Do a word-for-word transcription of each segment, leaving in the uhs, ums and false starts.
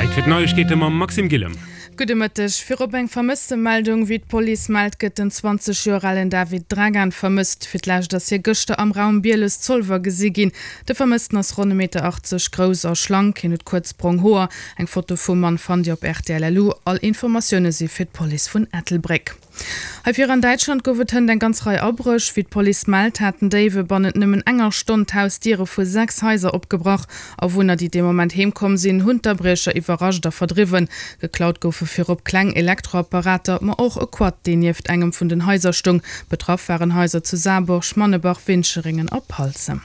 Zäit fir d'Neiegkeete mam Maxime Gillem. Gudde Mëtteg. Virop eng Vermësstemeldung, Wéi d'Police mellt, gëtt den zwanzeg Joer alen David Dragan vermësst. Fir d'lescht ass hie gëschter am Raum Bieles-Zolwer gesi ginn. De Vermëssten ass ronn e Meter achtzeg grouss a schlank. Hien huet kuerz brong Hoer. Eng Foto vum Mann fannt Dir op rtl.lu. All Informatioune si fir d'Police vun Ettelbréck. Hei vir an Däitschland gouf et hënt eng ganz Rei Abréch. Wéi d'Police mellt, haten Déiwe bannent nëmmen enger Stonn d'Hausdiere vu sechs Haiser opgebrach. Awunner, déi dee Moment heem komm sinn, hunn d'Abriecher iwwerrascht a verdriwwen. Geklaut goufe virop kleng Elektroapparater, ma och e Quad, deen nieft engem vun den Haiser stoung. Betraff waren Haiser zu Saarburg, Mannebach, Wincheringen a Palzem.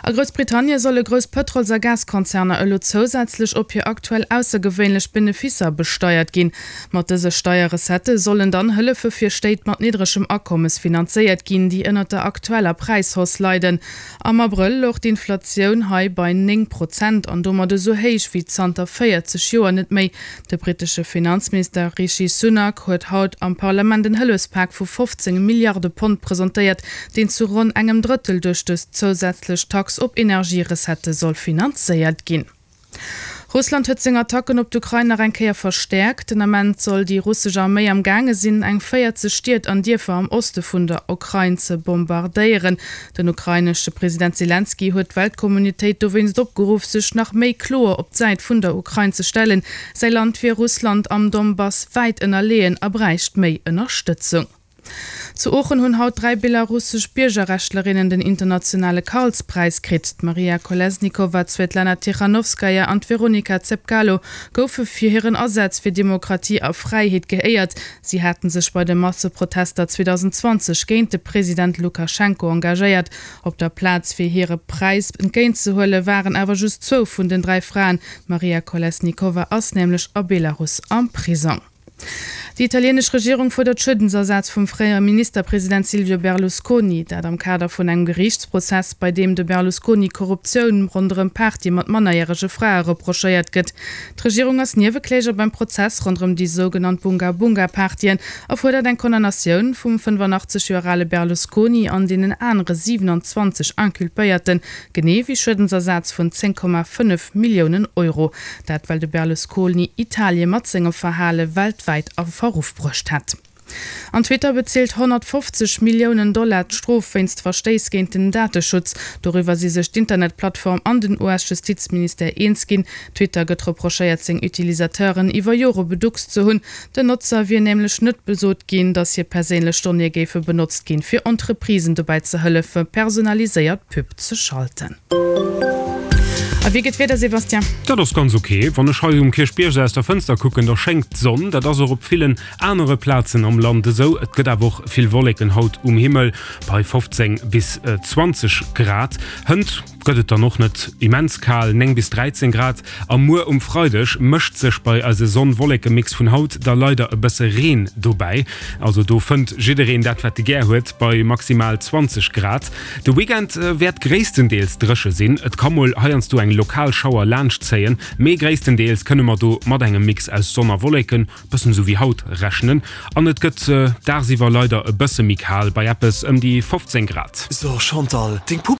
A Groussbritannie solle grouss Pëtrols a Gaskonzerner elo zousätzlech op hir aktuell aussergewéinlech Beneficer besteiert ginn. Mat dëse Steierrecettë sollen dann Hëllefe fir Stéit mat niddregem Akommes finanzéiert ginn, déi ënnert der aktueller Präishausse leiden. Am Abrëll louch d'Inflatioun hei bei néng Prozent an domat esou héich wéi zanter véierzeg Joer net méi. De brittesche Finanzminister Rishi Sunak huet haut am Parlament en Hëllefspak vu fofzéng Milliarde Pond presentéiert, deen zu ronn engem Drëttel duerch dës zousätzlech Tax op Energierecettë soll finanzéiert ginn. Russland huet seng Attacken op d'Ukrain nach eng Kéier verstäerkt. Den Ament soll déi russesch Arméi am gaange sinn, eng véierzeg Stied an Dierfer am Oste vun der Ukrain ze bombardéieren. Den ukrainesche President Selenskyj huet d'Weltkommunitéit dowéinst opgeruff, sech nach méi kloer op d'Säit vun der Ukrain ze stellen. Säi Land wier Russland am Donbass wäit ënnerleeën a bräicht méi Ënnerstëtzung. Zu Oochen hunn haut dräi belarussesch Biergerrechtlerinnen den internationale Karlspräis kritt. D'Maria Kolesnikova, d'Swetlana Tichanowskaja an d'Veronika Zepkalo goufe fir hiren Asaz fir Demokratie a Fräiheet geéiert. Si haten sech bei de Masseprotester zweedausendzwanzeg géint de President Lukaschenko engagéiert. Op der Plaz fir hire Präis entgéintzehuele waren awer just zwou vun den dräi Fraen. D'Maria Kolesnikova ass nämlech a Belarus am Prisong. Déi italienesch Regierung fuerdert Schuedensersaz vum fréiere Ministerpresident Silvio Berlusconi. Dat am Kader vun engem Geriichtsprozess, bei deem de Berlusconi Korruptioun ronderëm Partye mat mannerjärege Frae reprochéiert gëtt. D'Regierung ass Niewekläger beim Prozess ronderëm déi sougenannt Bunga-Bunga-Partyen a fuerdert eng Condamnatioun vum fënnefanaachtzeg Joer ale Berlusconi an deenen anere siwenanzwanzeg Inculpéierten, genee wéi Schuedensersaz vun zéng Komma fënnef Milliounen Euro. Dat well de Berlusconi Italie mat sengem Verhale weltwäit a Verruff bruecht hätt. An Twitter bezilt honnertfofzeg Milliounen Dollar d'Strof wéinst Verstéiss géint den Dateschutz. Doriwwer si sech d'Internetplattform an den U S-Justizministère eens ginn. Twitter gëtt reprochéiert, seng Utilisateuren iwwer Jore beduckst ze hunn. Den Notzer wier nämlech net besot ginn, datt hir perséinlech Donnéeë géife benotzt ginn, fir Entreprisen dobäi ze hëllefe personaliséiert Pub ze schalten. A wéi geet d'Wieder, Sébastien? Dat ass ganz ok. Wann ech hei um Kierchbierg aus der Fënster kucken, da schéngt d'Sonn. Dat ass och op villen anere Plazen am Land esou. Et gëtt awer och vill Wolleken haut um Himmel, bei fofzéng bis zwanzeg Grad. Hënt gëtt et dann och net immens kal, néng bis dräizéng Grad. A muer um Freideg mëscht sech bei eise Sonn-Wolleke-Mix vun haut da leider e bësse Reen dobäi. Also do fënnt jiddereen dat, wat e gär huet, bei maximal zwanzeg Grad. De Weekend wäert gréisstendeels dréche sinn, et ka mol heiansdo eng lokal Schauer laanschtzéien, mee gréisstendeels kënne mer do mat engem Mix aus Sonn a Wolleken, bëssen esou wéi haut, rechnen. An et gëtt dagsiwwer leider e bësse méi kal, bei eppes ëm déi fofzéng Grad. So Chantal, deng Pupp